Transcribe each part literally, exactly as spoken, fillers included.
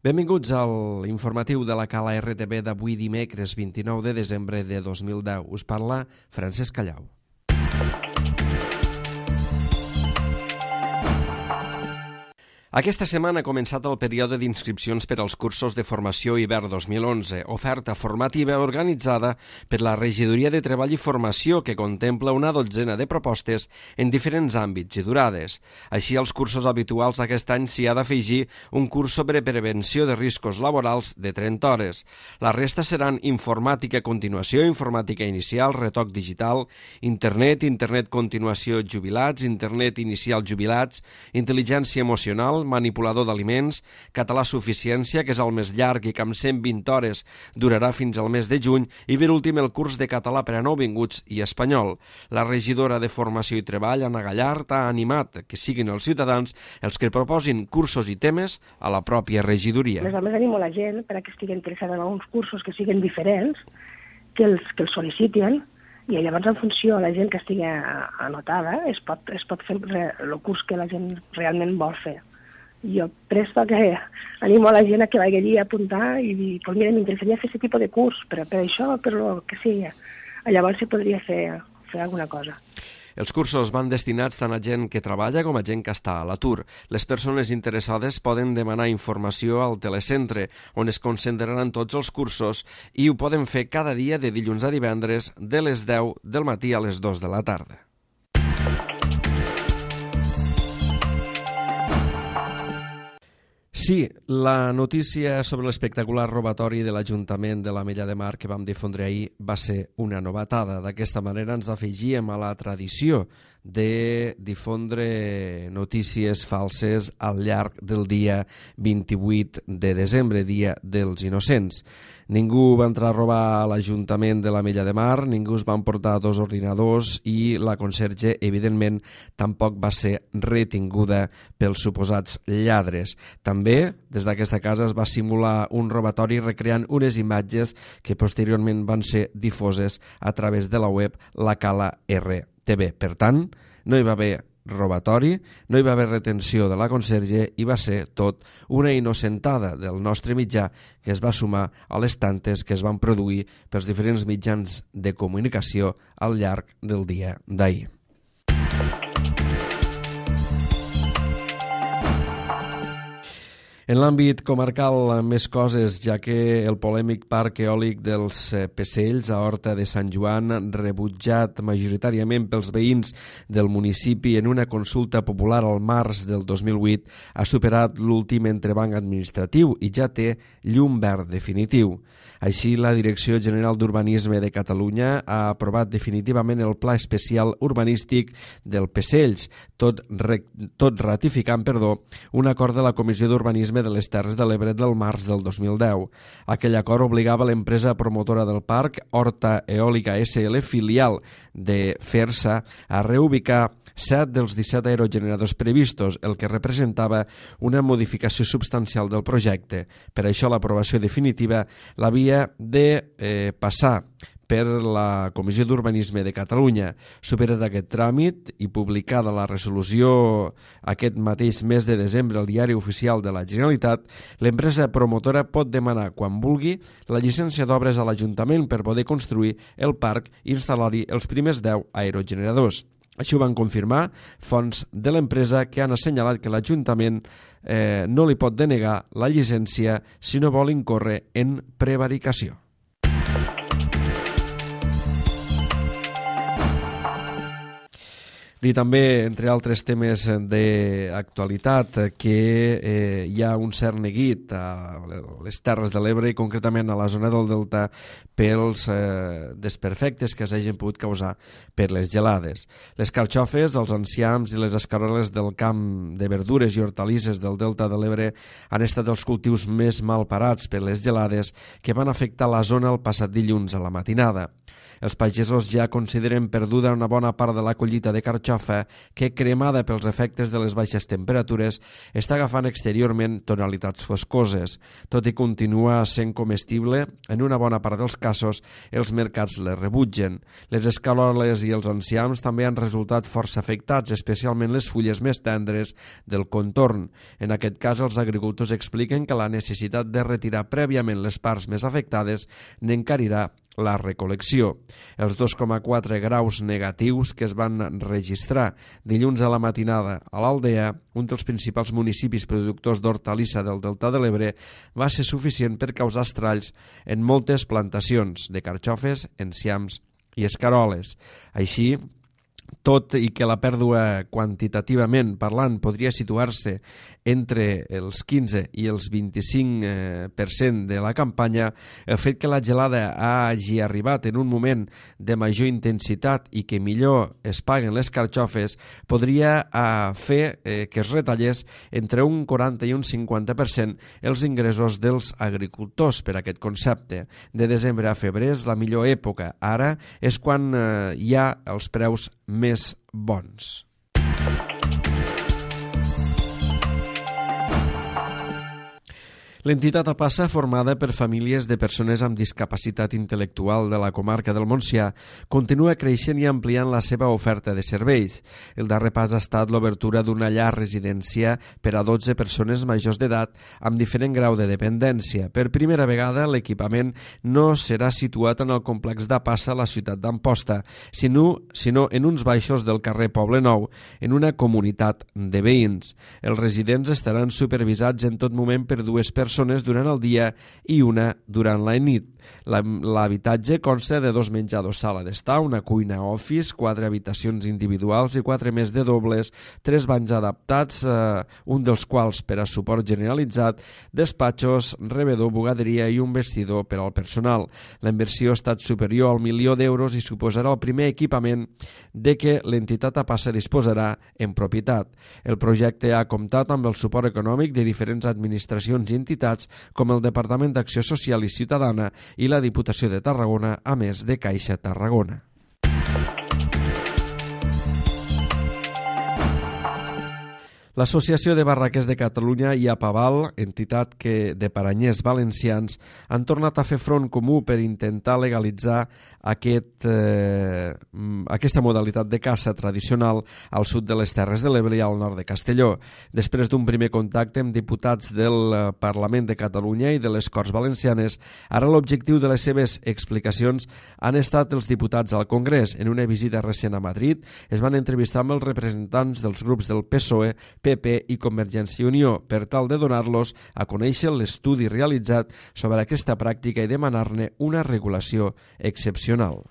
Benvinguts al informatiu de la Cala R T V d'avui dimecres vint-i-nou de desembre de dos mil deu. Us parla Francesc Callau. Aquesta setmana ha començat el període d'inscripcions per als cursos de formació hivern dos mil onze, oferta formativa organitzada per la Regidoria de Treball i Formació que contempla una dotzena de propostes en diferents àmbits i durades. Així, als cursos habituals aquest any s'hi ha d'afegir un curs sobre prevenció de riscos laborals de trenta hores. La resta seran informàtica continuació, informàtica inicial, retoc digital, internet, internet continuació jubilats, internet inicial jubilats, intel·ligència emocional, manipulador d'aliments, català suficiència, que és el més llarg i que amb cent vint hores durarà fins al mes de juny, i per últim el curs de català per a nouvinguts i espanyol. La regidora de Formació i Treball, Anna Gallart, ha animat que siguin els ciutadans els que proposin cursos i temes a la pròpia regidoria. A més, animo la gent per a que estigui interessada en alguns cursos que siguin diferents, que els, que els sol·licitin, i llavors en funció de la gent que estigui anotada es pot, es pot fer el curs que la gent realment vol fer. Jo presto que animo a la gent a que vagi a apuntar i dir, pues mira, m'interessaria fer aquest tipus de curs, però per això, per lo que sigui. Llavors se podria fer, fer alguna cosa. Els cursos van destinats tant a gent que treballa com a gent que està a l'atur. Les persones interessades poden demanar informació al telecentre, on es concentraran tots els cursos, i ho poden fer cada dia de dilluns a divendres de les deu del matí a les dues de la tarda. Sí, la notícia sobre l'espectacular robatori de l'Ajuntament de l'Ametlla de Mar que vam difondre ahir va ser una novetada. D'aquesta manera ens afegíem a la tradició de difondre notícies falses al llarg del dia vint-i-vuit de desembre, Dia dels Innocents. Ningú va entrar a robar a l'Ajuntament de l'Ametlla de Mar, ningú es va emportar dos ordinadors i la conserge, evidentment, tampoc va ser retinguda pels suposats lladres. També, des d'aquesta casa es va simular un robatori recreant unes imatges que posteriorment van ser difoses a través de la web La Cala R T V. Per tant, no hi va haver robatori, no hi va haver retenció de la conserge i va ser tot una innocentada del nostre mitjà que es va sumar a les tantes que es van produir pels diferents mitjans de comunicació al llarg del dia d'ahir. En l'àmbit comarcal, més coses, ja que el polèmic parc eòlic dels Pecells a Horta de Sant Joan, rebutjat majoritàriament pels veïns del municipi en una consulta popular al març del dos mil vuit, ha superat l'últim entrebanc administratiu i ja té llum verd definitiu. Així, la Direcció General d'Urbanisme de Catalunya ha aprovat definitivament el Pla Especial Urbanístic del Pecells, tot, re, tot ratificant perdó, un acord de la Comissió d'Urbanisme de les Terres de l'Ebre del març del dos mil deu. Aquell acord obligava l'empresa promotora del parc, Horta Eòlica S L, filial de FERSA, a reubicar set dels disset aerogeneradors previstos, el que representava una modificació substancial del projecte. Per això l'aprovació definitiva l'havia de eh, passar per la Comissió d'Urbanisme de Catalunya. Superat aquest tràmit i publicada la resolució aquest mateix mes de desembre al Diari Oficial de la Generalitat, l'empresa promotora pot demanar, quan vulgui, la llicència d'obres a l'Ajuntament per poder construir el parc i instal·lar-hi els primers deu aerogeneradors. Així ho van confirmar fonts de l'empresa que han assenyalat que l'Ajuntament eh, no li pot denegar la llicència si no vol incórrer en prevaricació. Dir també, entre altres temes d'actualitat, que eh, hi ha un cert neguit a les Terres de l'Ebre i concretament a la zona del Delta pels eh, desperfectes que s'hagin pogut causar per les gelades. Les carxofes, els enciams i les escaroles del camp de verdures i hortalisses del Delta de l'Ebre han estat els cultius més mal parats per les gelades que van afectar la zona el passat dilluns a la matinada. Els pagesos ja consideren perduda una bona part de la collita de carxofes carxofa que, cremada pels efectes de les baixes temperatures, està agafant exteriorment tonalitats foscoses. Tot i continuar sent comestible, en una bona part dels casos els mercats les rebutgen. Les escaroles i els enciams també han resultat força afectats, especialment les fulles més tendres del contorn. En aquest cas, els agricultors expliquen que la necessitat de retirar prèviament les parts més afectades n'encarirà la recol·lecció. Els dos coma quatre graus negatius que es van registrar dilluns a la matinada a l'Aldea, un dels principals municipis productors d'hortalissa del Delta de l'Ebre, va ser suficient per causar estralls en moltes plantacions de carxofes, enciams i escaroles. Així, tot i que la pèrdua quantitativament parlant podria situar-se entre els quinze i els vint-i-cinc per cent de la campanya, el fet que la gelada hagi arribat en un moment de major intensitat i que millor es paguen les carxofes podria fer que es retallés entre un quaranta i un cinquanta per cent els ingressos dels agricultors per aquest concepte. De desembre a febrer és la millor època. Ara és quan hi ha els preus més bons. L'entitat APASA, formada per famílies de persones amb discapacitat intel·lectual de la comarca del Montsià, continua creixent i ampliant la seva oferta de serveis. El darrer pas ha estat l'obertura d'una llar residència per a dotze persones majors d'edat amb diferent grau de dependència. Per primera vegada, l'equipament no serà situat en el complex d'APASA a la ciutat d'Amposta, sinó, sinó en uns baixos del carrer Poble Nou, en una comunitat de veïns. Els residents estaran supervisats en tot moment per dues persones persones durant el dia i una durant la nit. L'habitatge consta de dos menjadors, sala d'estar, una cuina office, quatre habitacions individuals i quatre més de dobles, tres banys adaptats, eh, un dels quals per a suport generalitzat, despatxos, rebedor, bugaderia i un vestidor per al personal. La inversió ha estat superior al milió d'euros i suposarà el primer equipament de què l'entitat APASA disposarà en propietat. El projecte ha comptat amb el suport econòmic de diferents administracions i entitats com el Departament d'Acció Social i Ciutadana i la Diputació de Tarragona, a més de Caixa Tarragona. L'Associació de Barraquers de Catalunya i APAVAL, entitat que de paranyers valencians, han tornat a fer front comú per intentar legalitzar aquest, eh, aquesta modalitat de caça tradicional al sud de les Terres de l'Ebre i al nord de Castelló. Després d'un primer contacte amb diputats del Parlament de Catalunya i de les Corts Valencianes, ara l'objectiu de les seves explicacions han estat els diputats al Congrés. En una visita recent a Madrid es van entrevistar amb els representants dels grups del P S O E, P P i Convergència i Unió per tal de donar-los a conèixer l'estudi realitzat sobre aquesta pràctica i demanar-ne una regulació excepcional.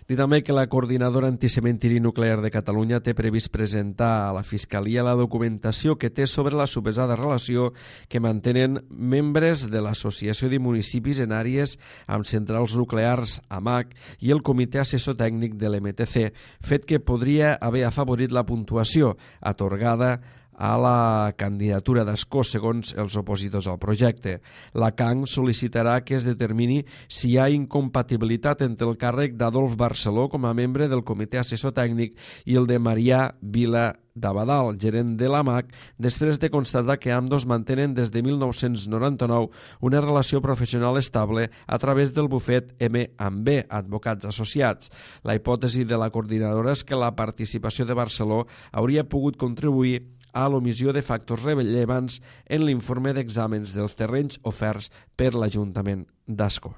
Dir també que la Coordinadora Anticementiri Nuclear de Catalunya té previst presentar a la Fiscalia la documentació que té sobre la suposada relació que mantenen membres de l'Associació de Municipis en àrees amb centrals nuclears A M A C i el Comitè Assessor Tècnic de l'M T C, fet que podria haver afavorit la puntuació atorgada a la candidatura d'Escó segons els opositors al projecte. La C A N sol·licitarà que es determini si hi ha incompatibilitat entre el càrrec d'Adolf Barceló com a membre del Comitè Assessor Tècnic i el de Marià Vila d'Abadal, gerent de l'A M A C, després de constatar que ambdós mantenen des de mil nou-cents noranta-nou una relació professional estable a través del bufet M amb B, Advocats Associats. La hipòtesi de la coordinadora és que la participació de Barceló hauria pogut contribuir a l'omissió de factors rellevants en l'informe d'exàmens dels terrenys oferts per l'Ajuntament d'Ascó.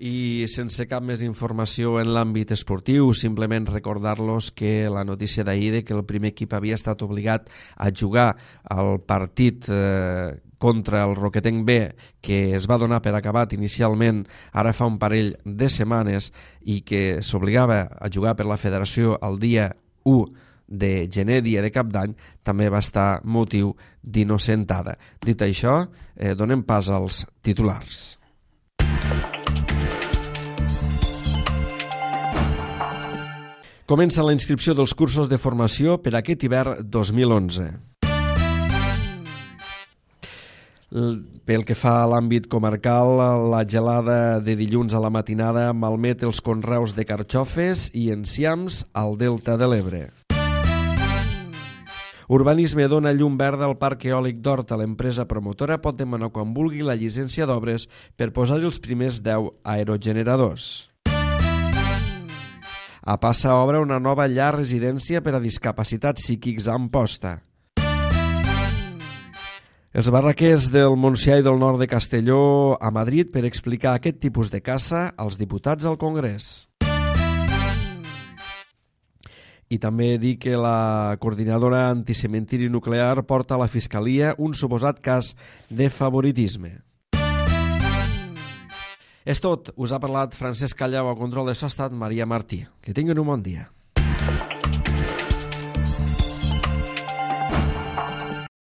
I sense cap més informació en l'àmbit esportiu, simplement recordar-los que la notícia d'ahir de que el primer equip havia estat obligat a jugar al partit eh, contra el Roquetenc B, que es va donar per acabat inicialment ara fa un parell de setmanes i que s'obligava a jugar per la federació el dia u de gener, dia de cap d'any, també va estar motiu d'innocentada. Dit això, eh, donem pas als titulars. Comença la inscripció dels cursos de formació per aquest hivern dos mil onze. Pel que fa a l'àmbit comarcal, la gelada de dilluns a la matinada malmet els conreus de carxofes i enciams al Delta de l'Ebre. Urbanisme dona llum verda al parc eòlic d'Horta. L'empresa promotora pot demanar quan vulgui la llicència d'obres per posar-hi els primers deu aerogeneradors. A Passa obre una nova llar residència per a discapacitats psíquics a Amposta. Els barraquers del Montsià i del nord de Castelló a Madrid per explicar aquest tipus de caça als diputats al Congrés. I també dir que la coordinadora anticementiri nuclear porta a la Fiscalia un suposat cas de favoritisme. És tot. Us ha parlat Francesc Callau, a control de so ha estat Maria Martí. Que tinguin un bon dia.